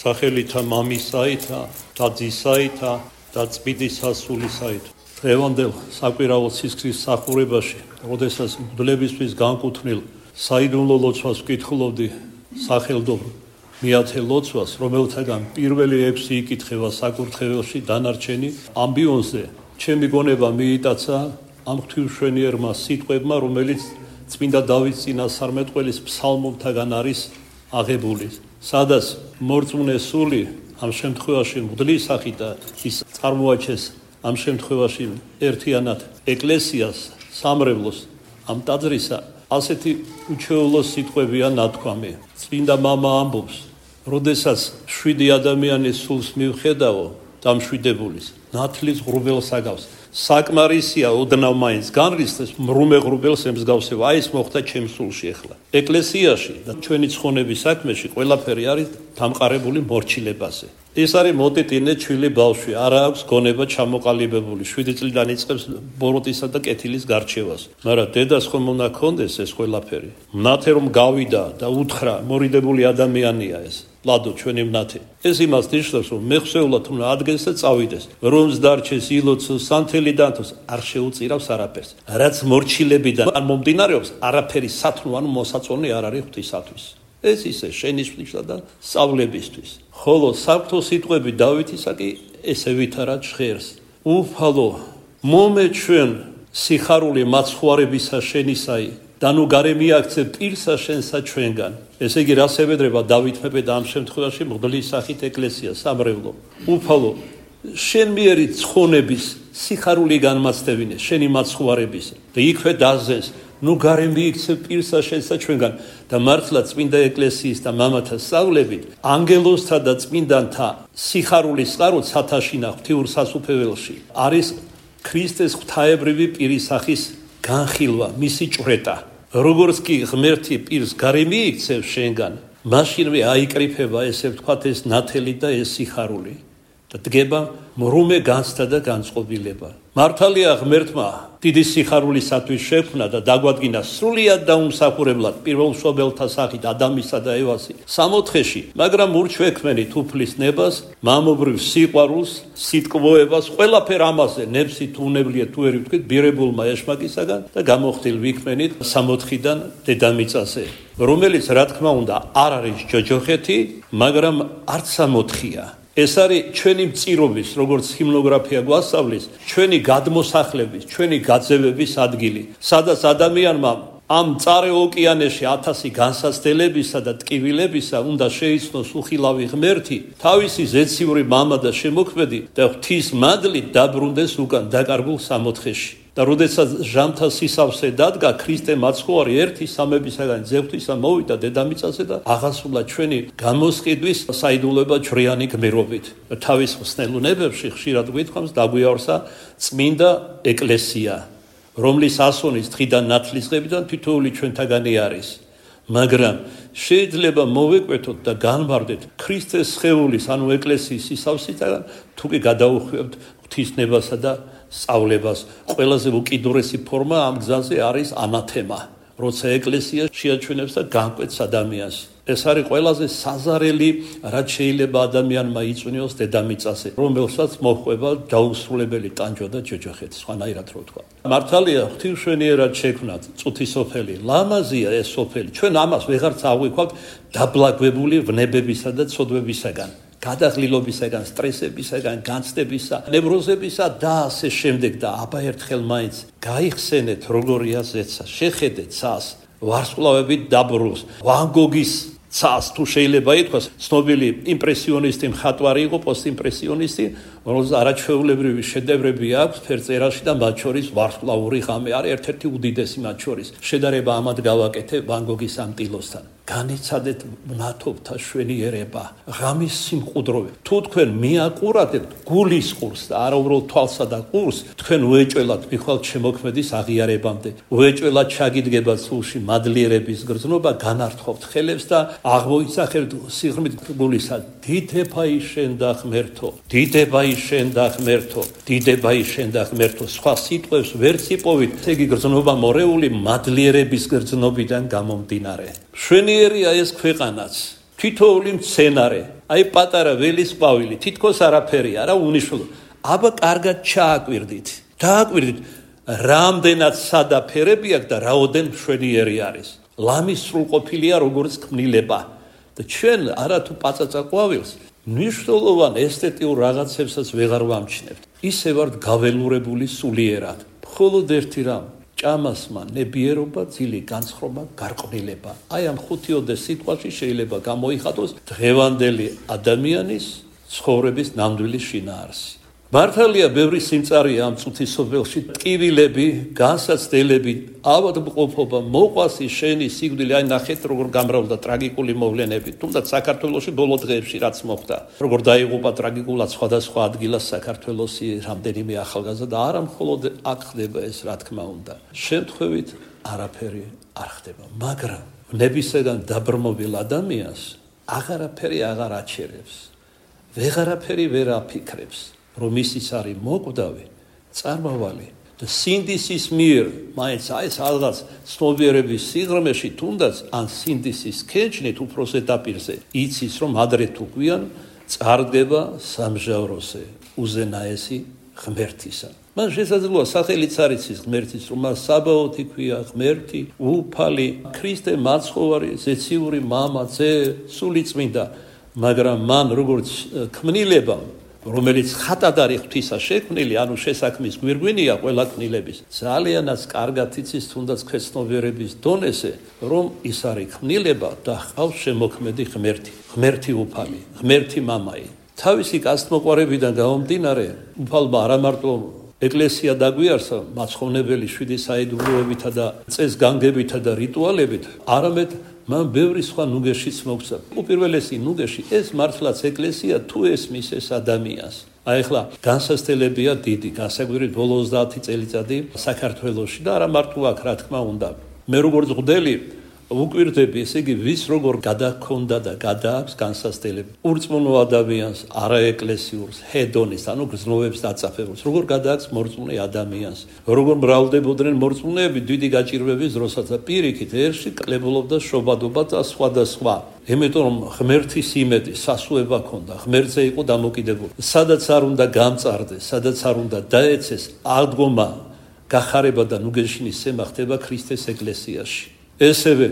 სახელითა მამისაითა და ძისაითა და წმინდისა სულისაით. დღევანდელ საკვირაო სისხლის სახურებაში, როდესაც მღვდლებისთვის განკუთვნილ საიდუმლო ლოცვას ვკითხულობდი სახელდობ მეათე ლოცვას, რომელთაგან პირველი 6 იკითხება საკურთხეველში, დანარჩენი ამბიონზე, ჩემი გონება მიიტაცა ამ ღვთისმშენიერმა სიტყვებმა, რომელიც წმინდა დავითის წინასწარმეტყველის ფსალმობთაგან არის აღებული, სადაც მორწმუნე სული ამ შემთხვევაში მღვდლის სახით და ის წარმოაჩენს ამ შემთხვევაში ერთიანად ეკლესიას, სამრევლოს, ამ ტაძრისა, ასეთი უჩვეულო სიტყვებია ნათქვამი. წმინდა მამა ამბობს, როდესაც 7 ადამიანის სულს მივხედავო დამშვიდებულის, ნათლის ღრუბელს აგავს. საკმარისია ოდნავ მაინც განრისხდეს მრუმე ღრუბელს ემსგავსება. აი ეს მოხდა ჩემს სულში ახლა. ეკლესიაში და ჩვენი ცხონების საქმეში ყველაფერი არის დამყარებული მორჩილებაზე. ეს არის მოტიტინე ჩვილი ბავშვი, არა აქვს გონება ჩამოყალიბებული, 7 წლიდან იწყებს ბოროტისა და კეთილის გარჩევას. მაგრამ დედას ხომ უნდა ქონდეს ეს ყველაფერი. მნათე რომ გავიდა და უთხრა, მორიდებული ადამიანია ეს. ლადო ჩვენი მნათე. ეს იმას ნიშნავს, რომ მეხსეულად უნდა ადგენს და წავიდეს. რომს დარჩეს ილოცოს, სანთელი დანთოს, არ შეუწირავს არაფერს. რაც მორჩილებიდან მომდინარეობს, არაფერი სათნო ან მოსაწონი არ არის ღვთისათვის. ეს ისე შენიშვნისა და სწავლებისთვის. ხოლო საფრთხო სიტყვები დავითისა კი ესე ვითარად ჟღერს. უფალო, მომე ჩვენ სიხარული მაცხვარებისა შენისაი და ნუ გარე მიაქცე პირსა შენსა ჩვენგან. ესე იგი რას ევედრება დავით მეფე და ამ შემთხვევაში მღვდლის სახით ეკლესია, სამრევლო. უფალო, შენ მიერი ცხონების სიხარული განმაცდებინე, შენი მაცხვარების და იქვე დაზენს. ნუ გარე მიიქცე პირსა შენსა ჩვენგან და მართლა წმინდა ეკლესიის და მამათა სწავლებით ანგელოზთა და წმინდანთა სიხარულის წყარო ცათაშინა ღვთიურ სასუფეველში არის ქრისტეს ღვთაებრივი პირის სახის განხილვა, მისი ჭვრეტა. როგორც კი ღმერთი პირს გარე მიიქცევ შენგან, მაშინვე აიკრიფება ესე ვთქვათ ეს ნათელი და ეს სიხარული და დგება მრუმე განცდა და განწყობილება. მართალია ღმერთმა დიდი სიხარულისათვის შექმნა და დაგვადგინა სრულიად დაუმსახურებლად პირველმშობელთა სახით ადამისა და ევასი სამოთხეში, მაგრამ ურჩვექმენით უფლის ნებას, მამობრივ სიყვარულს, სიტყვოებას, ყველაფერ ამაზე ნებსით უნებლიეთ თუ ერი ვთქვით ბირებულმა ეშმაკისაგან და გამოხდილ ვიქმენით სამოთხიდან დედამიწაზე, რომელიც რა თქმა უნდა არ არის ჯოჯოხეთი, მაგრამ არც სამოთხია. ეს არის ჩვენი მწირობის, როგორც ჰიმნოგრაფია გვასწავლის, ჩვენი გადმოსახლების, ჩვენი გაძევების ადგილი, სადაც ადამიანმა ამ მწარე ოკეანეში 1000 განსაცდელებისა და ტკივილებისა უნდა შეიცნოს უხილავი ღმერთი, თავისი ზეციური მამა და შემოქმედი და ღვთის მადლით დაბრუნდეს უკან დაკარგულ სამოთხეში. და როდესაც ჟამთა სისავსე დადგა, ქრისტე მაცხოვარი ერთი სამებისაგან ძევთვისა მოვიდა დედამიწაზე და აღასრულა ჩვენი გამოსყიდვის საიდუმლოება ჯვრიანი გმირობით. თავის ხსნელუნებებში ხშირად გვითხოვს დაგვიარსა წმინდა ეკლესია, რომლის ასონის დღიდან ნათლისღებიდან თითოეული ჩვენთაგანი არის. მაგრამ შეიძლება მოვეკვეთოთ და განვარდეთ ქრისტეს სხეულის, ანუ ეკლესიის სისავსისაგან, თუ კი გადაუხვევთ ღვთისნებასა და სწავლებას. ყველაზე უკიდურესი ფორმა ამ გზაზე არის ანათემა, როცა ეკლესია შეაჩვენებს და განკვეთს ადამიანს. ეს არის ყველაზე საზარელი, რაც შეიძლება ადამიანმა იწვნიოს დედამიწაზე, რომელსაც მოჰყვება დაუსრულებელი ტანჯვა და ჯოჯოხეთი, სხვანაირად რო ვთქვა. მართალია ღვთისმშენიერად შექმნა წუთი სოფელი, ლამაზია ეს სოფელი. ჩვენ ამას ვეღარც აღვიქვავთ დაბლაგვებული ვნებებისა და ცოდვებისაგან. გადაღლილობისაგან, სტრესებისაგან, განცდებისა, ნევროზებისა და ასე შემდეგ და აბა ერთხელ მაინც გაიხსენეთ როგორია ზეცა, შეხედეთ ცას, ვარსკვლავებით დაბრუნს, ვან გოგის ცას თუ შეიძლება ითქვას, ცნობილი იმპრესიონისტი მხატვარი იყო, პოსტიმპრესიონისტი, რომელსაც არაჩვეულებრივი შედევრები აქვს ფერწერაში და მათ შორის ვარსკვლავური ღამე არის ერთ-ერთი უდიდესი მათ შორის. შედარება ამად გავაკეთე ვან გოგის ამ ტილოსთან. განიცადეთ მნათობთა შვენიერება, ღამის სიმყუდროვე. თუ თქვენ მიაყურებთ გულის ყურს და არა უბრალოდ თვალსა და ყურს, თქვენ უეჭველად მიხვალთ შემოქმედის აღიარებამდე. უეჭველად ჩაგიდგებათ სულში მადლიერების გრძნობა, განართხოვთ ხელებს და აღმოიცახებთ სიღრმით გულისა. დიდება შენ და ღმერთო, დიდება შენ და ღმერთო, დიდება შენ და ღმერთო. სხვა სიტყვებს ვერ ციპოვით, ესე იგი გრძნობა მორეული მადლიერების გრძნობიდან გამომდინარე. შვენიერია ეს ქვეყანაც, თითოეული მცენარე, აი პატარა ველის ყვავილი, თითქოს არაფერი არა უნიშნულო. აბა კარგად ჩააკვირდით. დააკვირდით, რამდენად სადა ფერები აქვს და რაოდენ მშვენიერი არის. ლამის სრულყოფილია როგორც ქმნილება. და ჩვენ არათუ პაწაწა ყვავილს მნიშვნელოვან ესთეტიურ რაღაცებსაც ვეღარ ვამჩნევთ. ისე ვართ გაველურებული სულიერად. მხოლოდ ერთი რამ ჭამასმა ნებიერობა, ძილი განცხრობა, გარყვნილება. აი ამ 5-10 სიტყვაში შეიძლება გამოიხატოს დღევანდელი ადამიანის ცხოვრების ნამდვილი შინაარსი. მართალია ბევრი სიმწარია ამ წუთის სოფელში, ტკივილები, განსაცდელები, ავადმყოფობა, მოყვასი, შენი სიკვდილი, აი ნახეთ როგორ გამრავლდა ტრაგიკული მოვლენები, თუმცა საქართველოში ბოლო დღეებში რაც მოხდა, როგორ დაიღუპა ტრაგიკულად სხვადასხვა ადგილას საქართველოსი რამდენიმე ახალგაზრდა და არა მხოლოდ აქ ხდება ეს, რა თქმა უნდა. შემთხვევით არაფერი არ ხდება, მაგრამ ნებისგან დაბრმობილ ადამიანს აღარაფერი აღარ აჩერებს, ვეღარაფერი ვერ აფიქრებს. რომ ისიც არის მოკვდავი, წარმავალი და სინდისის მიერ, მაინც აი ეს რაღაც ცნობიერების სიღრმეში, თუნდაც ან სინდისის ქეჯნით უფრო ზედაპირზე, იცის რომ ადრე თუ გვიან წარდგება სამჟავროზე უზენაესი ღმერთისა. მან შესაძლოა სახელიც არ იცის ღმერთის, რომ მას საბაოთი ქვია, ღმერთი, უფალი, ქრისტე მაცხოვარი, ზეციური მამა, ძე, სულიწმინდა, მაგრამ მან როგორც ქმნილებამ რომელიც ხატად არის ღვთისა შექმნილი, ანუ შესაქმის გვირგვინია ყველა ქმნილების. ძალიანაც კარგად იცის თუნდაც ქვეცნობიერების დონეზე, რომ ის არის ქმნილება და ჰყავს შემოქმედი ღმერთი, ღმერთი უფალი, ღმერთი მამაი. თავისი კაცთმოყვარებიდან გამომდინარე, უფალმა არა მარტო ეკლესია დაგვიარსა მაცხოვნებელი 7 საიდუმლოებითა და წესგანგებითა და რიტუალებით, არამედ მან ბევრი სხვა ნუგეშიც მოგცა. უპირველესი ნუგეში ეს მართლაც ეკლესია თუ ესმის ეს ადამიანს. აი ახლა განსასწრებია დიდი, განსაგვირით ბოლო 30 წელიწადი საქართველოში და არა მარტო აქ, რა თქმა უნდა. მე როგორც მღვდელი ვუკვირდები, ესე იგი ვის როგორ გადაქონდა და გადააქვს განსასწრები. ურწმუნო ადამიანს, არაეკლესიურს, ჰედონის, ანუ გრძნობებს დაწაფებულს, როგორ გადააქვს მორწმუნე ადამიანს. როგორ მრავლდებოდნენ მორწმუნეები დიდი გაჭირვების დროსაც და პირიქით ერში კლებულობდა შობადობა და სხვა. იმიტომ რომ ღმერთის იმედი, სასუება ქონდა, ღმერთზე იყო დამოკიდებული. სადაც არ უნდა გამწარდეს, სადაც არ უნდა დაეცეს, აღდგომა, გახარება და ნუგეშინის სემა ხდება ქრისტეს ეკლესიაში. ესევე,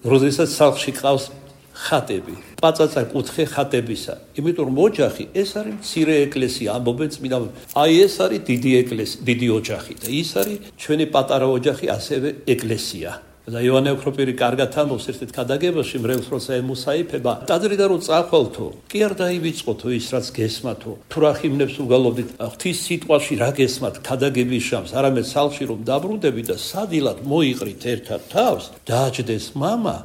როდესაც სახლში ყავს ხატები, პაწაწა კუთხე ხატებისა. იმიტომ რომ ოჯახი ეს არის მცირე ეკლესია, ამბობენ წმინდა. აი ეს არის დიდი ეკლესია, დიდი ოჯახი და ის არის ჩვენი პატარა ოჯახი, ასევე ეკლესია. და იოანე ოქროპირი კარგად ამბობს ერთ-ერთ ქადაგებაში, მრევლს როცა ემუსაიფება, ტაძრიდან რომ წახვალთო, კი არ დაივიწყოთო ის რაც გესმათო. თუ რა ხიმნებს უგალობდით, ღვთის სიტყვაში რა გესმათ ქადაგების შამს, არამედ სახლში რომ დაბრუნდებით და სადილად მოიყრით ერთად თავს, დააჯდეს მამა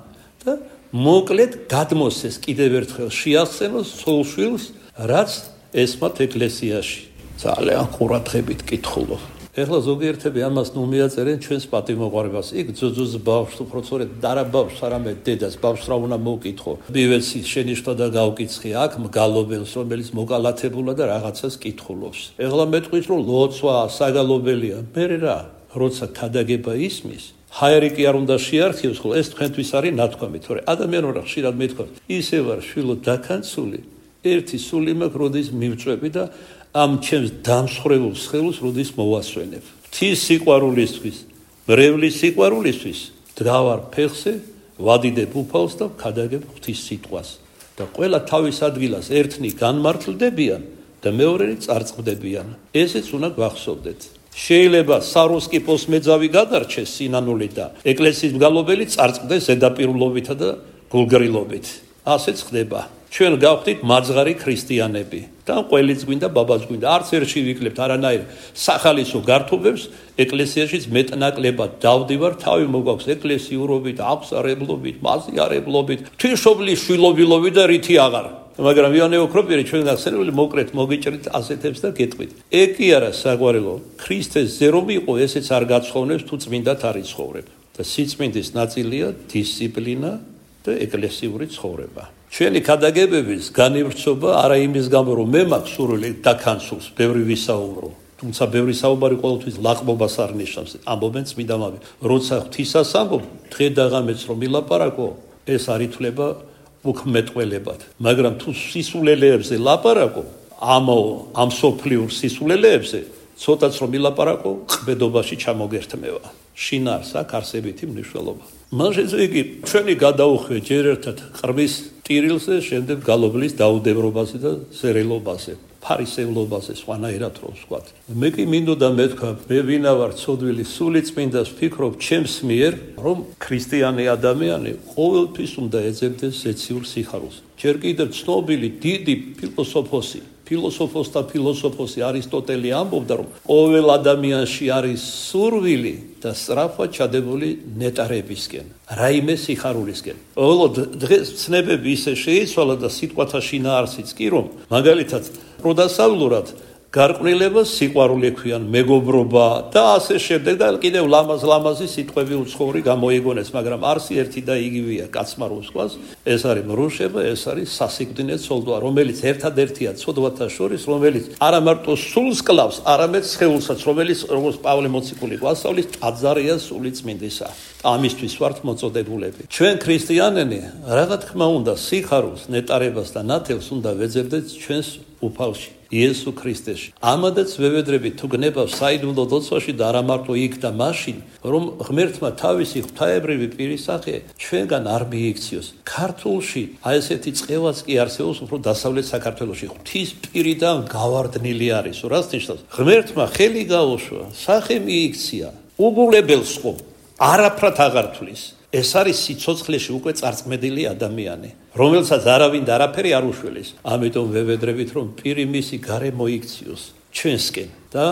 და მოკლედ გადმოსცეს კიდევ ერთხელ შეახსენოს სულშვილს, რაც ესმათ ეკლესიაში. ძალიან ყურადღებით კითხულობ. ეხლა ზოგიერთები ამას ნუ მიაწერენ ჩვენს პატიმოყვარებას. იქ ძოძოს ბავშვს უფრო სწორედ არა ბავშვს, არამედ დედას, ბავშვს რა უნდა მოვკითხო. ბივეცი შენიშნო და გავკიცხე აქ მგალობელს, რომელიც მოკალათებულა და რაღაცას კითხულობს. ეხლა მეტყვის რომ ლოცვა საგალობელია. მე რა, როცა ქადაგება ისმის, ჰაერი კი არ უნდა შეარქიოს, ხოლო ეს თქვენთვის არის ნათქვამი, თორე ადამიანურა ხშირად მეთქვას, ისე ვარ შვილო დაქანცული, ერთი სული მაქვს, როდის მივწვევი და ამ ჩემს დამსხვრევულ სხეულს როდის მოვასვენებ. ღვთის სიყვარულისთვის, მრევლის სიყვარულისთვის დგავარ ფეხზე, ვადიდებ უფალს და ვქადაგებ ღვთის სიტყვას. და ყველა თავის ადგილას ერთნი განმართლდებიან და მეორენი წარწყდებიან. ესეც უნდა გვახსოვდეთ. შეიძლება საროსკიპოს მეძავი გადარჩეს სინანული და ეკლესიის მგალობელი წარწყდეს ზედაპირულობითა და გულგრილობით. ასეც ხდება. ჩვენ გავხდით მაძღარი ქრისტიანები და ყველიც გვინდა ბაბაც გვინდა არც ერთში ვიკლებთ არანაირ სახალისო გართობებს ეკლესიაშიც მეტნაკლებად დავდივარ თავი მოგაქვს ეკლესიურობით აღსარებლობით მაზიარებლობით თვიშობლის შვილობილობით და რითი აღარ მაგრამ იონე ოქროპირი ჩვენ გახსენებული მოკრეთ მოგიჭრით ასეთებს და გეტყვით ეგ კი არა საყვარელო ქრისტეს ზე რომ იყო ესეც არ გაცხოვნებს თუ წმინდად არ იცხოვრებ და სიწმინდის ნაწილია დისციპლინა და ეკლესიური ცხოვრება ჩვენი ქადაგებების განივრცობა არა იმის გამო რომ მე მაქვს სურვილი დაქანცულს ბევრი ვისაუბრო თუმცა ბევრი საუბარი ყოველთვის ლაყბობას არ ნიშნავს ამბობენ წმინდამები როცა ღვთისას ამბობ დღე და ღამეც რომ ილაპარაკო ეს არ ითვლება უქმეტყველებად, მაგრამ თუ სისულელეებზე ლაპარაკო, ამ სოფლიურ სისულელეებზე, ცოტაც რომ ილაპარაკო, ყბედობაში ჩამოგერთმევა. შინაარს აქვს არსებითი მნიშვნელობა. მან შეძლო იგი ჩვენი გადაუხვია ჯერ ერთად ყრმის ტირილზე, შემდეგ გალობლის დაუდევრობაზე და ზერელობაზე, ფარისევლობაზე, სხვანაირად რომ ვსვათ. მე კი მინდოდა მეთქვა, მე ვინა ვარ ცოდვილი სულიწმინდას ვფიქრობ ჩემს მიერ, რომ ქრისტიანი ადამიანი ყოველთვის უნდა ეძებდეს ზეციურ სიხარულს. ჯერ კიდევ ცნობილი დიდი ფილოსოფოსთა ფილოსოფოსი არისტოტელი ამბობდა, რომ ყოველ ადამიანში არის სურვილი და სწრაფად ჩადებული ნეტარებისკენ, რაიმე სიხარულისკენ. დღეს ცნებები ისე შეიცვალა და სიტყვათა შინაარსიც კი, რომ მაგალითად პროდასავლურად გარყვნილებას სიყვარული ქვიან, მეგობრობა და ასე შემდეგ და კიდევ ლამაზი სიტყვები უცხოური გამოიგონეს, მაგრამ არსი ერთი და იგივეა კაცმა რომ ვსვას, ეს არის მრუშება, ეს არის სასიკვდინე ცოლვა, რომელიც ერთადერთია ცოდვათა შორის, რომელიც არა მარტო სულს კლავს, არამედ სხეულსაც, რომელიც როგორც პავლე მოციქული გვასწავლის, ტაძარია სულიწმინდისა. ამისთვის ვართ მოწოდებულები. ჩვენ ქრისტიანები, რა თქმა უნდა, სიხარულს, ნეტარებას და ნათელს უნდა ვეძებდეთ ჩვენს უფალში. იესო ქრისტეში. ამადაც ვევედრებით თუ გნებავს საიდუმლო ლოცვაში და არა მარტო იქ და მაშინ, რომ ღმერთმა თავისი ღვთაებრივი პირის სახე ჩვენგან არ მიიქციოს. ქართულში ესეთი წყევაც კი არსებობს უფრო დასავლეთ საქართველოში. ღვთის პირიდან გავარდნილი არის. რას ნიშნავს? ღმერთმა ხელი გაუშვა, სახე მიიქცია. უგულებელს ხო არაფრად აღარ თვლის. ეს არის სიცოცხლეში უკვე წარწმედილი ადამიანი, რომელსაც არავინ და არაფერი არ უშველის. ამიტომ ვევედრებით, რომ პირი მისი გარე მოიქციოს ჩვენსკენ და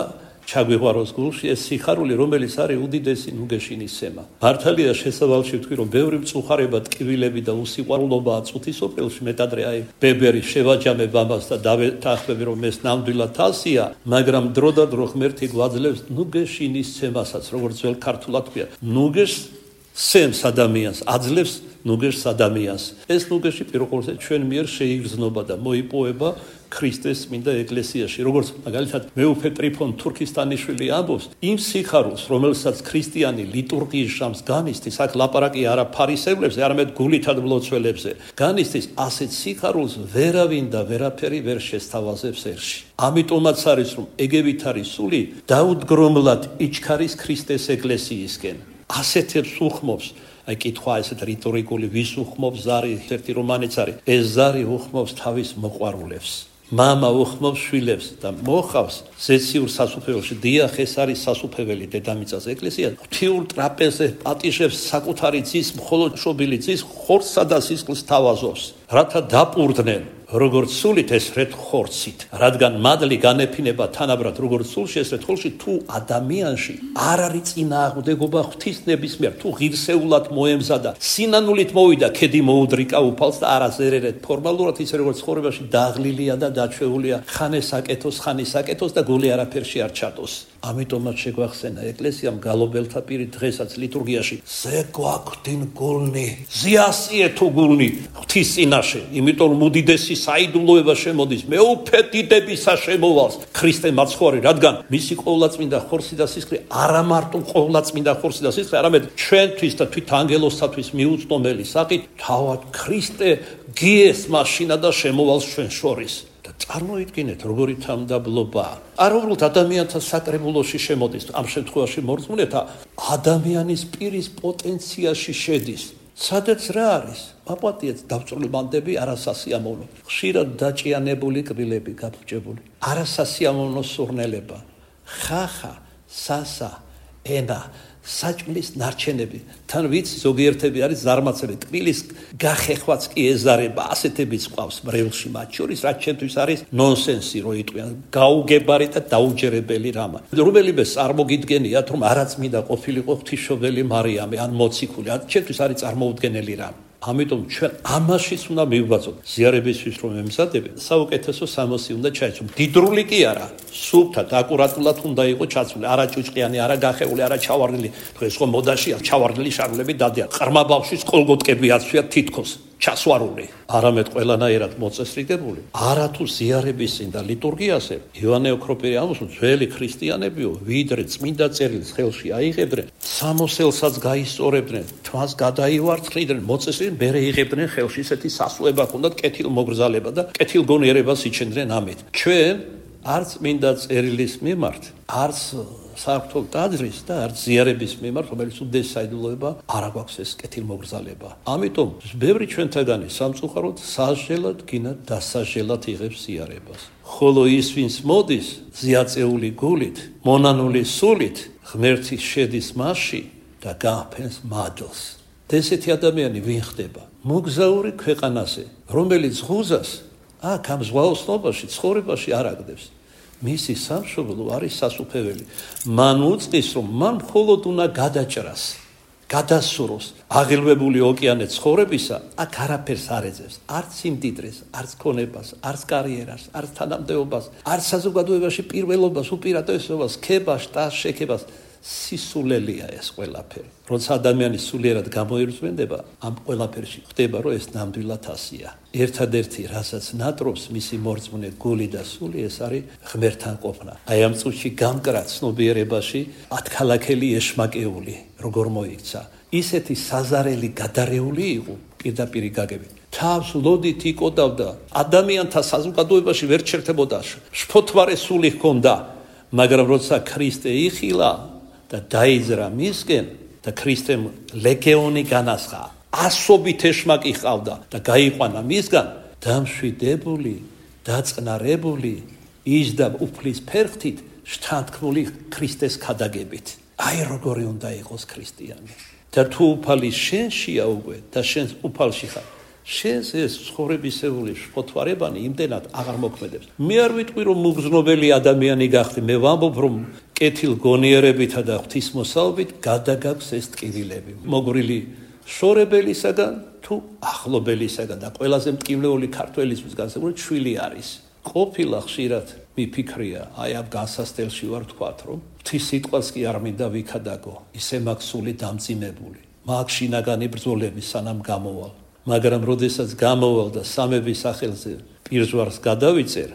ჩაგვიღვაროს გულში ეს სიხარული, რომელიც არის უდიდესი ნუგეშინის სემა. მართალია შესავალში ვთქვი, რომ ბევრი მწუხარება, ტკივილები და უსიყვარულობაა წუთისოფელში, მეტადრე აი ბებერი შევაჯამებ ამას და დავეთანხმები, რომ ეს ნამდვილად თასია, მაგრამ დრო და დრო ღმერთი გვაძლევს ნუგეშინის სემასაც, როგორც ძველ ქართულად ქვია. ნუგეშს სემს ადამიანს, აძლევს ნუგეშს ადამიანს. ეს ნუგეში პირველყოლზე ჩვენ მიერ შეიგრძნობა და მოიპოვება ქრისტეს წმინდა ეკლესიაში. როგორც მაგალითად მეუფე ტრიფონ თურქისტანიშვილი ამბობს, იმ სიხარულს, რომელსაც ქრისტიანი ლიტურგიის ჟამს განიცდის, აქ ლაპარაკი არა ფარისევლებზე, არამედ გულითად მლოცველებზე. განიცდის ასეთ სიხარულს ვერავინ და ვერაფერი ვერ შესთავაზებს ერში. ამიტომაც არის, რომ ეგევით არის სული დაუდგრომლად იჩქარის ქრისტეს ეკლესიისკენ. ასეთებს უხმობს, აი კითხვა ესეთ რიტორიკული ვის უხმობს ზარი, ერთი რომანიც არის. ეს ზარი უხმობს თავის მოყვარულებს. მამა უხმობს შვილებს და მოხავს ზეციურ სასუფეველში. დიახ, ეს არის სასუფეველი დედამიწას ეკლესია. ღვთიურ ტრაპეზზე პატიჟებს საკუთარი ძის, მხოლოდ მშობილი ძის ხორცსა და სისხლს თავაზობს, რათა დაპურდნენ როგორც სულით ესრეთ ხორცით, რადგან მადლი განეფინება თანაბრად როგორც სულში ესრეთ ხორცში, თუ ადამიანში არ არის წინააღმდეგობა ღვთისნების მიერ, თუ ღირსეულად მოემზადა, სინანულით მოვიდა, ქედი მოუდრიკა უფალს და არაზერერეთ ფორმალურად ისე როგორც ცხოვრებაში დაღლილია და დაჩვეულია ხანისაკეთოს და გული არაფერში არ ჩატოს. ამიტომაც შეგვახსენა ეკლესიამ გალობელთა პირით დღესაც ლიტურგიაში ზეგვაქვდინ გულნი, ზიასიე თუ გულნი ღვთის წინაშე, იმიტომ რომ უდიდესი საიდუმლოება შემოდის მეუფე დიდებისა შემოვალს ქრისტე მაცხოვარი, რადგან მისი ყოვლადწმინდა ხორცი და სისხლი არა მარტო ყოვლადწმინდა ხორცი და სისხლი, არამედ ჩვენთვის და თვით ანგელოსთათვის მიუწვდომელი საკით თავად ქრისტე გიეს მაშინა და შემოვალს ჩვენ შორის. წარმოიდგინეთ, როგორი თამდაბლობაა. არაუბრალოდ ადამიანთა საკრებულოში შემოდის, ამ შემთხვევაში მორწმუნეთა ადამიანის პირის პოტენციაში შედის. სადაც რა არის? მაპატიეთ დავწვრილმანდები არასასიამოვნო. ხშირად დაჭიანებული კბილები გაფუჭებული. არასასიამოვნო სურნელება. ხახა, სასა, ენა, საჭმლის ნარჩენები. თან ვიცი ზოგიერთები არის ზარმაცები. კბილის გახეხვაც კი ეზარება, ასეთებიც ყავს ბრევლში მათ შორის, რაც ჩემთვის არის ნონსენსი რო იტყვიან. გაუგებარი და დაუჯერებელი რამა. რომელიმე წარმოგიდგენიათ, რომ არაწმინდა ყოფილიყო ღვთისმშობელი მარიამი ან მოციქული, ჩემთვის არის წარმოუდგენელი რამა. ამიტომ ჩვენ ამაშიც უნდა მივბაძოთ. ზიარებისთვის რომ ემზადები, საუკეთესო სამოსი უნდა ჩაეცვო. დიდრული კი არა, სუფთად, აკურატულად უნდა იყოს ჩაცული, არა ჭუჭყიანი, არა გახეული, არა ჩავარდნილი. დღეს ხო მოდაშია ჩავარდნილი შარლები დადიან. ყრმა ბავშვის კოლგოტკები აცვიათ თითქოს. ჩასვარული, არამედ ყველანაირად მოწესრიგებული, არათუ ზიარების წინ და ლიტურგიაზე ივანე ოქროპირი ამბობს, ძველი ქრისტიანებიო, ვიდრე წმინდა წერილს ხელში აიღებდნენ, სამოსელსაც გაისწორებდნენ, თვას გადაივარცხლიდნენ, მოწესრიგდნენ, მერე იღებდნენ ხელში ისეთი სასუება ჰქონდათ, კეთილმოგრძალება და კეთილგონიერებას იჩენდნენ ამით. ჩვენ არც წმინდა წერილის მიმართ, არც საერთო ტაძრის და არც ზიარების მიმართ, რომელიც უდიდეს საიდუმლოება, არ აქვს ეს კეთილმოგრძალება. ამიტომ ბევრი ჩვენთაგანი სამწუხაროდ სასჯელად გინა დასასჯელად იღებს ზიარებას. ხოლო ის, ვინც მოდის ზიაწეული გულით, მონანული სულით, ღმერთი შედის მასში და გააფენს მადლს. ესეთი ადამიანი ვინ ხდება? მოგზაური ქვეყანაზე, რომელიც ღუზას აქ ამ ზღვაოსნობაში, ცხოვრებაში არ აგდებს. მისი სამშობლო არის სასუფეველი. მან უწყის, რომ მან მხოლოდ უნდა გადაჭრას, გადასუროს აღელვებული ოკეანე ცხოვრებისა, აქ არაფერს არ ეძებს, არც სიმდიდრეს, არც ქონებას, არც კარიერას, არც თანამდებობას, არც საზოგადოებაში პირველობას, უპირატესობას, ქებას, შტას, შექებას. სისულელია ეს ყველაფერი. როცა ადამიანი სულიერად გამოირწმენდება, ამ ყველაფერში ხდება, რომ ეს ნამდვილად ასია. ერთადერთი, რასაც ნატრობს მისი მორწმუნე გული და სული, ეს არის ღმერთთან ყოფნა. აი ამ წუთში გამკრა ცნობიერებაში ათქალაქელი ეშმაკეული, როგორ მოიქცა. ისეთი საზარელი გადარეული იყო პირდაპირი გაგებით. თავს ლოდით იკოდავდა, ადამიანთა საზოგადოებაში ვერ ჩერდებოდა, შფოთვარე სული ჰქონდა, მაგრამ როცა ქრისტე იხილა და დაიძრა მისკენ და ქრისტემ ლეგიონი განასხა, ასობით ეშმაკი ჰყავდა და გაიყვანა მისგან, დამშვიდებული, დაწყნარებული, იჯდა უფლის ფერხთით, შთანთქმული ქრისტეს ქადაგებით. აი როგორი უნდა იყოს ქრისტიანი. და თუ უფალი შენშია უკვე და შენს უფალში ხარ, შენს ეს ცხოვრებისეული შფოთვარებანი იმდენად აღარ მოქმედებს. მე არ ვიტყვი, რომ მუგზნობელი ადამიანი გახდი, მე ვამბობ, რომ კეთილგონიერებითა და ღვთისმოსალობით გადაგაქვს ეს ტკივილები. მოგრილი შორებელისაგან თუ ახლობელისაგან და ყველაზე მტკივლეული ქართველისთვის განსაკუთრებით შვილი არის. ყოფილა ხშირად მიფიქრია, აი ამ განსასწელში ვარ თქვათ, რომ ღვთის სიტყვას კი არ მინდა ვიქადაგო, ისე მაქვს სული დამძიმებული. მაქვს შინაგანი ბრძოლები სანამ გამოვალ. მაგრამ როდესაც გამოვალ და სამების სახელზე პირზვარს გადავიწერ,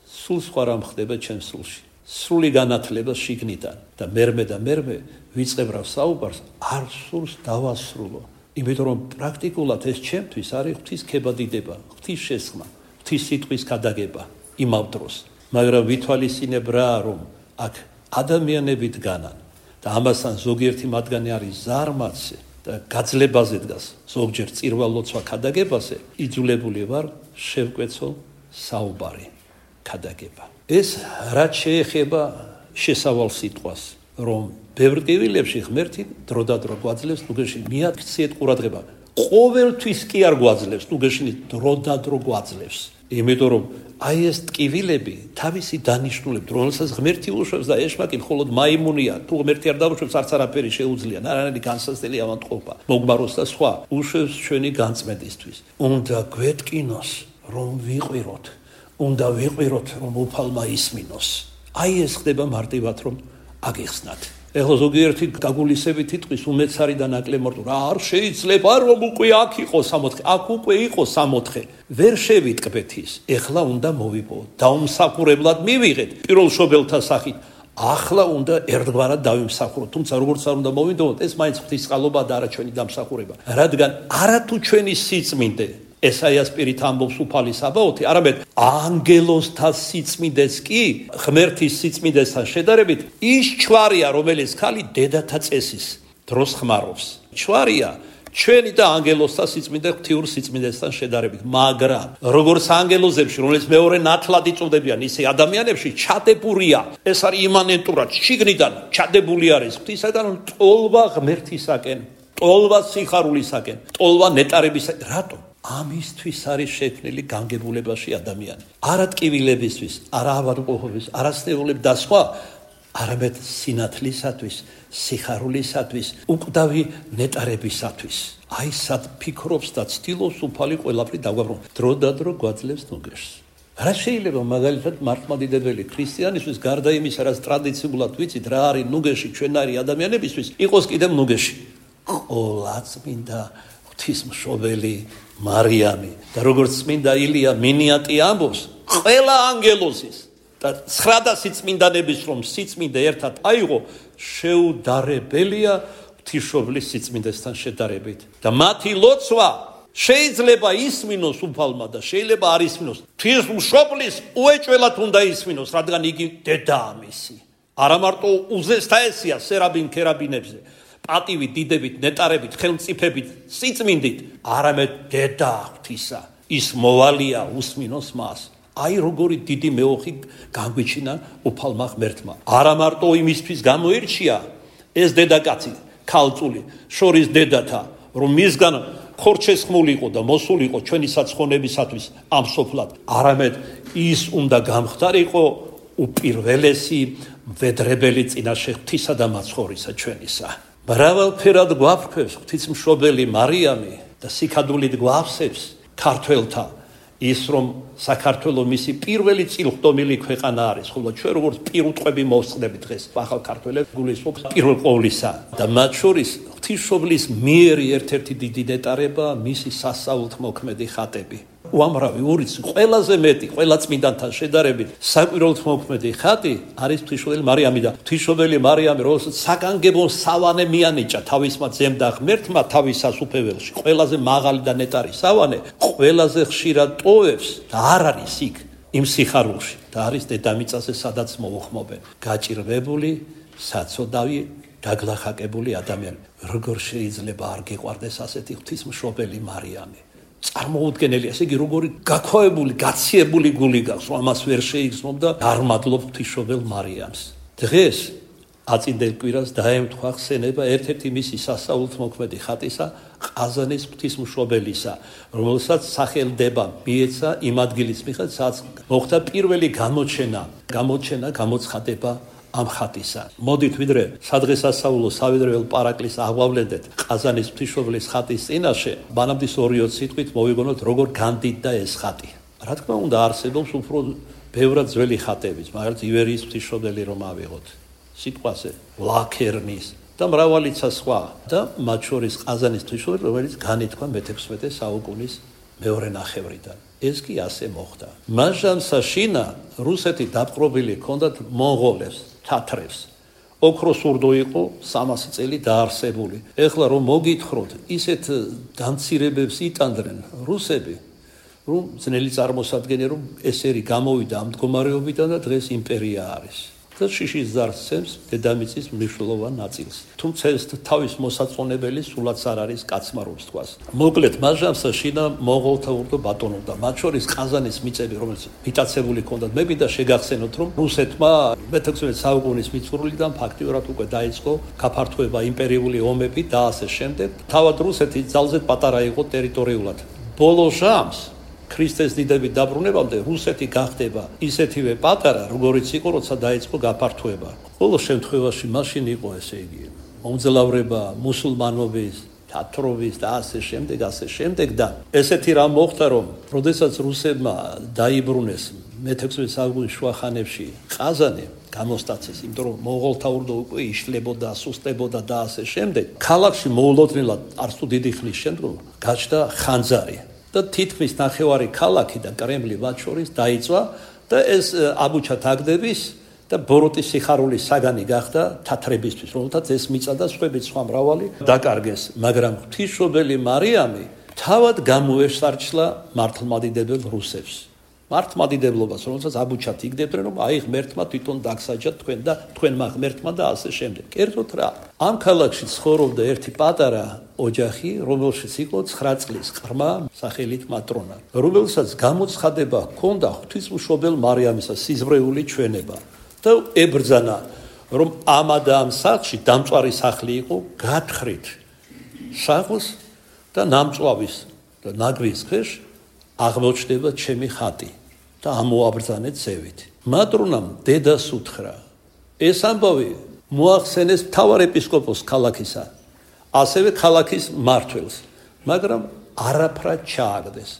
სულ სხვა რამ ხდება ჩემს სულში. სრული განათლება შიგნიდან და მერმე ვიწყებრავ საუბარს, არ სურს დავასრულო. იმიტომ რომ პრაქტიკულად ეს ჩემთვის არის ღვთის ქებადიდება, ღვთის შესხმა, ღვთის სიტყვის გადაგება იმავ დროს. მაგრამ ვითვალისწინებ რა, რომ აქ ადამიანები დგანან და ამასთან ზოგიერთი მათგანი არის ზარმაცი და გაძლებაზე დგას, ზოგჯერ წირვალოცვა ქადაგებაზე, იძულებული ვარ შევკვეცო საუბარი ქადაგება. ეს რაც შეეხება შესავალ სიტყვას, რომ ბევრ ტკივილებში ღმერთი დროდადრო გვაძლევს, ნუგეში მიაქციეთ ყურადღება. ყოველთვის კი არ გვაძლევს, ნუგეში დროდადრო გვაძლევს. იმიტომ რომ აი ეს ტკივილები თავისი დანიშნულებით, რომელსაც ღმერთი უშვებს და ეშმაკი მხოლოდ მაიმუნია, თუ ღმერთი არ დაუშვებს, არც არაფერი შეუძლია, არანაირი განსაცდელი ავადმყოფა, მოგმაროს და სხვა, უშვებს ჩვენი განწმენდისთვის. უნდა გვეტკინოს, რომ ვიყვიროთ, უნდა ვიყვიროთ, რომ უფალმა ისმინოს. აი ეს ხდება მარტივად, რომ აგიხსნათ. ეხლა ზოგიერთი გაგულისებით იტყვის უმეცარი და ნაკლემორტო, რა არ შეიძლება რომ უკვე აქ იყო 60, აქ უკვე იყო 60. ვერ შევიტკბეთ ის. ეხლა უნდა მოვიპოვოთ, დაუმსახურებლად მივიღეთ პირველშობელთა სახით. ახლა უნდა ერთგვარად დავიმსახუროთ, თუმცა როგორც არ უნდა მოვიდოვოთ, ეს მაინც ღვთის წყალობა და არა ჩვენი დამსახურება. რადგან არათუ ჩვენი სიწმინდე ესაიას პირით ამბობს უფალი საბაოთი, არამედ ანგელოზთა სიწმინდეს კი ღმერთის სიწმინდესთან შედარებით ის ჩვარია, რომელიც ხალი დედათა წესის დროს ხმარობს. ჩვარია ჩვენი და ანგელოზთა სიწმინდე ღვთიურ სიწმინდესთან შედარებით, მაგრამ როგორც ანგელოზებში, რომელიც მეორე ნათლად იწოდებიან, ისე ადამიანებში ჩადებურია. ეს არის იმანენტურად შიგნიდან ჩადებული არის ღვთისაგან ტოლვა ღმერთისაკენ, ტოლვა სიხარულისაკენ, ტოლვა ნეტარებისაკენ. რატომ? ამისთვის არის შექმნილი განგებულებაში ადამიანი. არა ტკივილებისთვის, არა ავადმყოფობის, არა სნეულებ და სხვა, არამედ სინათლისათვის, სიხარულისათვის, უკვდავი ნეტარებისათვის. აი სად ფიქრობს და ცდილობს უფალი ყველაფერი დაგვაბრუნოს. დროდადრო გვაძლევს ნუგეშს. რა შეიძლება მაგალითად მართლმადიდებელი ქრისტიანისთვის გარდა იმისა, რაც ტრადიციულად ვიცით, რა არის ნუგეში ჩვენარი ადამიანებისთვის, იყოს კიდევ ნუგეში. ყოლაწმინდა ღვთისმშობელი მარიამი და როგორც წმინდა ილია მინიატი ამბობს, ყველა ანგელოზის და 900 წმინდანების რომ სიწმინდე ერთად აიღო, შეუდარებელია ღვთისმშობლის სიწმინდესთან შედარებით და მათი ლოცვა შეიძლება ისმინოს უფალმა და შეიძლება არ ისმინოს. ღვთისმშობლის უეჭველად უნდა ისმინოს, რადგან იგი დედაა მისი. არა მარტო უზესთაესია სერაბინ ქერაბინებზე, პატივით, დიდებით, ნეტარებით, ხელმწიფებით, სიწმინდით, არამედ დედა ღვთისა. ის მოვალია უსმინოს მას. აი როგორი დიდი მეოხი განგვიჩინა უფალმა ღმერთმა. არა მარტო იმისთვის გამოირჩია ეს დედაკაცი, ქალწული, შორის დედათა, რომ მისგან ხორჩესხმულიყო და მოსულიყო ჩვენი საცხონებისათვის ამ სოფლად, არამედ ის უნდა გამხდარიყო უპირველესი მვედრებელი წინაშე ღვთისა და მაცხოვრისა ჩვენისა. მრავალფერად გვაფრქვევს ღვთისმშობელი მარიამი და სიქადულით გვავსებს ქართველთა ის რომ საქართველო მისი პირველი წილხდომილი ქვეყანა არის, ხოლო ჩვენ როგორც პირუტყვები მოვსწრებით დღეს ახალ ქართველებს გულისხმობს პირველ ყოვლისა და მათ შორის ღვთისმშობლის მიერი ერთ-ერთი დიდი ნეტარება მისი სასაულთმოქმედი ხატები. უამრავი ურიცი ყველაზე მეტი ყველა წმინდანთან შედარებით საკვირველთ მოქმედი ხატი არის ღვთისმშობელი მარიამი და ღვთისმშობელი მარიამი რომელსაც საგანგებო სავანე მიანიჭა თავისმა ძემ და ღმერთმა თავის სასუფეველში ყველაზე მაღალი და ნეტარი სავანე ყველაზე ხშირად ტოვებს და არ არის იქ იმ სიხარულში და არის დედამიწაზე სადაც მოუხმობენ გაჭირვებული საცოდავი დაგლახაკებული ადამიანი. როგორ შეიძლება არ გიყვარდეს ასეთი ღვთისმშობელი მარიამი? წარმოუდგენელია, ესე იგი როგორი გაქვავებული, გაციებული გული გაქვს, რომ ამას ვერ შეიგრძნობ და არ მადლობ ღვთისმშობელ მარიამს. დღეს აწინდელ კვირას დაემთხვა ხსენება ერთ-ერთი მისი სასაულთმოქმედი ხატისა, ყაზანის ღვთისმშობელისა, რომელსაც სახელდება მიეცა იმ ადგილის მიხედვით, სადაც მოხდა პირველი გამოცხადება ამ ხატისა. მოდით ვიდრე სადღესასწაულო სავიდრეულ პარაკლის აღვავლენდეთ ყაზანის ღვთისმშობლის ხატის წინაშე, მანამდე 2-3 სიტყვით მოვიგონოთ როგორ განდიდდა ეს ხატი. რა თქმა უნდა არსებობს უფრო ბევრად ძველი ხატებიც, მაგალითად ივერიის ღვთისმშობელი რომ ავიღოთ, სიტყვაზე ლაქერნის და მრავალიცა სხვა და მათ შორის ყაზანის ღვთისმშობელი, რომელიც განითქვა მე-16 საუკუნის მეორე ნახევრიდან. ეს კი ასე მოხდა. მაჟანსა შინა რუსეთი დაპყრობილი ჰქონდათ მონღოლებს, თათრებს. ოქროს ურდო იყო 300 წელი დაარსებული. ეხლა რომ მოგითხროთ, ისეთ დამცირებებს იტანდნენ რუსები, რომ ძნელი წარმოსადგენია, რომ ესერი გამოვიდა ამ მდგომარეობიდან და დღეს იმპერია არის. და შიშის ზარს დედამიწის მნიშვნელოვან ნაწილს. თუმცა ეს თავის მოსაწონებელი სულაც არ არის კაცმარობს თქვას. მოკლედ მაჟანსა შინა მონღოლთა ურდო ბატონობდა. მათ შორის ყაზანის მიწები, რომელიც მიტაცებული ჰქონდათ, მე მინდა შეგახსენოთ, რომ რუსეთმა მე-16 საუკუნის მიწურულიდან ფაქტიურად უკვე დაიწყო გაფართოება იმპერიული ომები და ასე შემდეგ. თავად რუსეთი ძალზედ პატარა იყო ტერიტორიულად. ბოლო ჟამს ქრისტეს დიდებით დაბრუნებამდე რუსეთი გახდება ისეთივე პატარა, როგორიც იყო, როცა დაიწყო გაფართოება. ბოლო შემთხვევაში მაშინ იყო ესე იგი მომძლავრება მუსულმანობის, თათრობის და ასე შემდეგ და ესეთი რამ მოხდა, რომ როდესაც რუსებმა დაიბრუნეს მე-16 საუკუნის შუახანებში ყაზანი გამოსტაცეს, იმიტომ რომ მონღოლთა ურდო უკვე იშლებოდა, სუსტებოდა და ასე შემდეგ. ქალაქში მოულოდნელად არც თუ დიდი ხნის შემდგომ გაჩნდა ხანძარი. და თითქმის ნახევარი ქალაქი და კრემლი მათ შორის დაიწვა და ეს აბუჩა თაგდების და ბოროტის სიხარულის საგანი გახდა თათრებისთვის, რომელთაც ეს მიწა და სხვა მრავალი დაკარგეს, მაგრამ ღვთისმშობელი მარიამი თავად გამოესარჩლა მართლმადიდებელ რუსებს. მართლმადიდებლობას, რომელსაც აბუჩად იგდებდნენ, რომ აი ღმერთმა თვითონ დაგსაჯა თქვენ და თქვენმა ღმერთმა და ასე შემდეგ. კერძოდ რა, ამ ქალაქში ცხოვრობდა ერთი პატარა ოჯახი, რომელშიც იყო 9 წლის ყრმა სახელით მატრონა, რომელსაც გამოცხადება ჰქონდა ღვთისმშობელ მარიამისა სიზმრეული ჩვენება და ებრძანა, რომ ამა და ამ სახლში დამწვარი სახლი იყო გათხრით სახლს და ნამწვავის და ნაგვის ქვეშ აღმოჩნდება ჩემი ხატი და ამოაბრძანეთ ზევით. მატრონამ დედას უთხრა, ეს ამბავი მოახსენეს მთავარ ეპისკოპოსს ქალაქისა, ასევე ქალაქის მმართველს, მაგრამ არაფრად ჩააგდეს.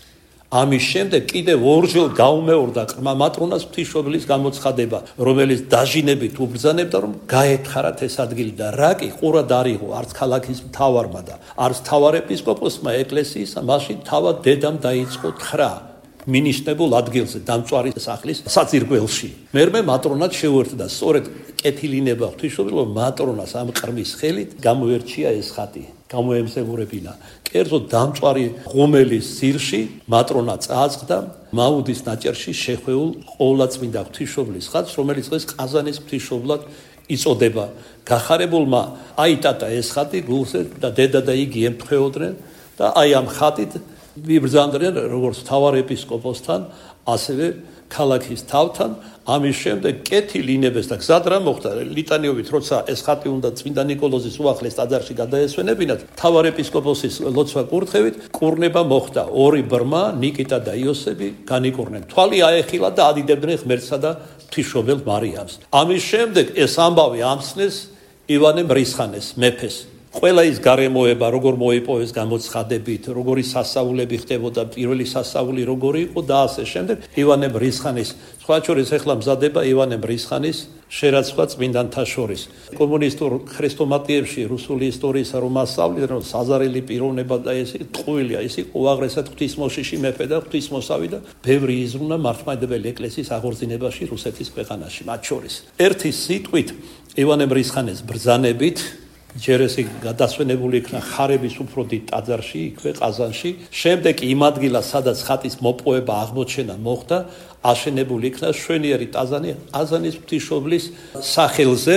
ამის შემდეგ კიდევ ორჯერ გაუმეორდა ყრმა მატრონას ღვთისმშობლის გამოცხადება, რომელიც დაჟინებით უბრძანებდა, რომ გაეთხარათ ეს ადგილი და რა კი ყურად არ იყო არც ქალაქის მთავარმა და არც მთავარ ეპისკოპოსმა ეკლესიისა, მაშინ თავად დედამ დაიწყო თხრა მინიშნებულ ადგილზე დამწვარი სახლის საძირკველში. მერმე მატრონად შეუერთდა სწორედ კეთილინება ღვთისმშობელო მატრონას ამ ყრმის ხელით გამოერჩია ეს ხატი. გამოემსებურებინა. კერძო დამწვარი ღუმელის ძირში მატრონა წააწყდა მაუდის ნაჭერში შეხვეულ ყოვლადწმინდა ღვთისმშობლის ხატს, რომელიც დღეს ყაზანის ღვთისმშობლად იწოდება. გახარებულმა აიტატა ეს ხატი გულზე და დედა და იგი ემთხვეოდნენ და აი ამ ხატით ვიბრძანდნენ როგორც მთავარ ეპისკოპოსთან, ასევე ქალაქის თავთან. ამის შემდეგ კეთილინებას და გზად რა მოხდა ლიტანიობით, როცა ეს ხატი უნდა წმინდა ნიკოლოზის უახლეს ტაძარში გადაესვენებინათ, მთავარ ეპისკოპოსის ლოცვა კურთხევით კურნება მოხდა. ორი ბრმა, ნიკიტა და იოსები განიკურნენ. თვალი აეხილა და ადიდებდნენ ღმერთსა და ღვთისმშობელ მარიამს. ამის შემდეგ ეს ამბავი ამცნეს ივანე მრისხანეს, მეფეს. ყველა ის გარემოება, როგორ მოიპოვეს გამოცხადებით, როგორი სასწაულები ხდებოდა, პირველი სასწაული როგორი იყო და ასე შემდეგ. ივანე მრისხანის, სხვა შორის ახლა მზადება ივანე მრისხანის შერაცხვა წმინდანთა შორის. კომუნისტურ ქრესტომატიებში რუსული ისტორიისა რომ ასწავლეთ, რომ საზარელი პიროვნება და ეს ტყუილია, ის იყო უაღრესად ღვთისმოშიში მეფე და ღვთისმოსავი და ბევრი იზრუნა მართლმადიდებელი ეკლესიის აღორძინებაში რუსეთის ქვეყანაში. მათ შორის ერთი სიტყვით ივანე მრისხანის ბრძანებით ჯერ ეს გადასვენებული იქნა ხარების უფრო დიდ ტაძარში, იქვე ყაზანში. შემდეგ იმ ადგილას, სადაც ხატის მოპოვება აღმოჩენა მოხდა, აშენებული იქნა მშვენიერი ტაძარი ყაზანის ღვთისმშობლის სახელზე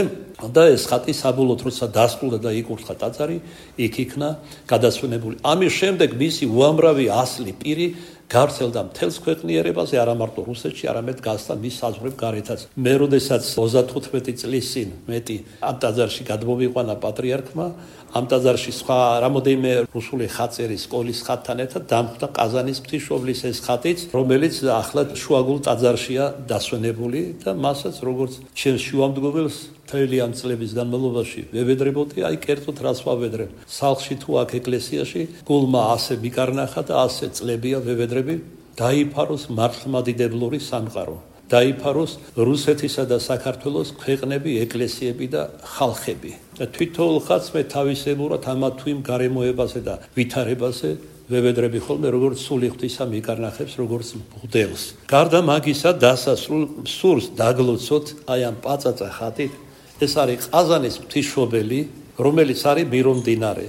და ეს ხატი საბოლოოდ როცა დასრულდა და იკურთხა ტაძარი, იქ იქნა გადასვენებული. ამის შემდეგ მისი უამრავი ასლი პირი გავრცელდა მთელს ქვეყნიერებაზე, არა მარტო რუსეთში, არამედ გასცდა მის საზღვრებ გარეთაც. მე როდესაც 35 წლის წინ მეტი ამ ტაძარში გადმოვიყვანა პატრიარქმა, ამ ტაძარში სხვა რამოდენიმე რუსული ხატწერის სკოლის ხატთან ერთად დამხვდა ყაზანის ღვთისმშობლის ეს ხატიც, რომელიც ახლა შუაგულ ტაძარშია დასვენებული და მასაც როგორც ჩემს შუამდგომელს მთელი ამ წლების განმავლობაში ვევედრებოდი, აი კერძოდ რას ვავედრებ. სახლში თუ აქ ეკლესიაში გულმა ასე მიკარნახა და ასე წლებია ვევედრები, დაიფაროს მართლმადიდებლური სამყარო. დაიფაროს რუსეთისა და საქართველოს ქვეყნები, ეკლესიები და ხალხები. და თვითოულ ხალხს მე თავისებურად ამა თუ იმ გარემოებაზე და ვითარებაზე ვევედრები ხოლმე როგორც სული ღვთისა მიკარნახებს, როგორც მღვდელს. გარდა მაგისა დასასრულ სურს დაგლოცოთ აი ამ პაწაწა ხატით. ეს არის ყაზანის ღვთისმშობელი, რომელიც არის მირომდინარე.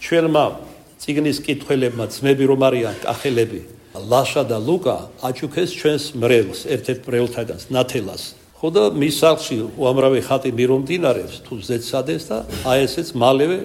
ჩვენმა წიგნის კითხველებმა ძმები რომ არიან კახელები, ლაშა და ლუკა აჩუქეს ჩვენს მრევლს, ერთ-ერთ მრევლთაგანს, ნათელას. ხო და მის სახლში უამრავი ხატი მირომდინარებს თუ ზეცადეს და აი ესეც მალევე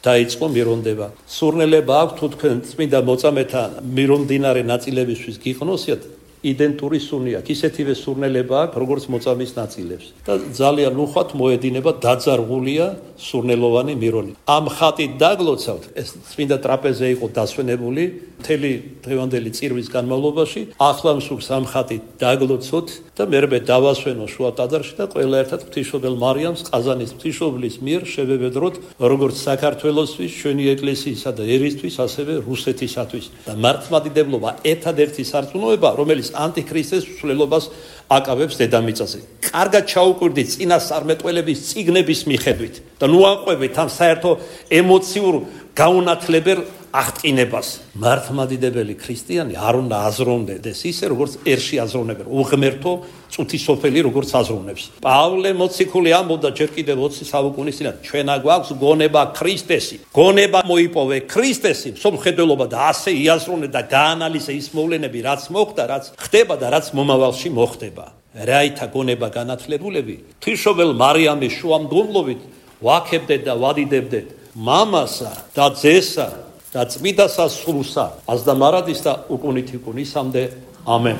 დაიწყო მირონდება. სურნელება აქვს თუ თქვენ წმინდა მოწამეთან მირომდინარე ნაწილებისთვის გიყნოსიათ, იდენტური სუნი აქვს, ისეთივე სურნელება აქვს, როგორც მოწამის ნაწილებს. და ძალიან უხვად მოედინება დაძარღულია სურნელოვანი მირონი. ამ ხატით დაგლოცავთ, ეს წმინდა ტრაპეზე იყო დასვენებული მთელი დღევანდელი წირვის განმავლობაში. ახლა მსურს ამ ხატით დაგლოცოთ და მერმე დავასვენო შუა ტაძარში და ყველა ერთად ღვთისმშობელ მარიამს ყაზანის ღვთისმშობლის მიერ შევევედროთ, როგორც საქართველოსთვის, ჩვენი ეკლესიისა და ერისთვის, ასევე რუსეთისათვის. და მართლმადიდებლობა ერთადერთი სარწმუნოება, რომელიც ანტიქრისტეს მსვლელობას აკავებს დედამიწაზე. კარგად ჩაუკვირდით წინასწარმეტყველების წიგნების მიხედვით და ნუ აყვებით ამ საერთო ემოციურ გაუნათლებელ აღტყინებას. მართლმადიდებელი ქრისტიანი არ უნდა აზროვნდეს ისე, როგორც ერში აზროვნებენ, უღმერთო წუთი სოფელი როგორც აზროვნებს. პავლე მოციქული ამბობდა ჯერ კიდევ 20 საუკუნის წინათ, ჩვენა გვაქვს გონება ქრისტესი. გონება მოიპოვე ქრისტესი, მსოფლმხედველობა და ასე იაზროვნე და გაანალიზე ის მოვლენები, რაც მოხდა, რაც ხდება და რაც მომავალში მოხდება. რაითა გონება განათლებულები, ღვთისმშობელ მარიამის შუამდგომლობით ვაქებდეთ და ვადიდებდეთ მამასა და ძესა და წმიდა სასულსა, აზდა მარადის და უკუნით იკუნისამდე. ამენ.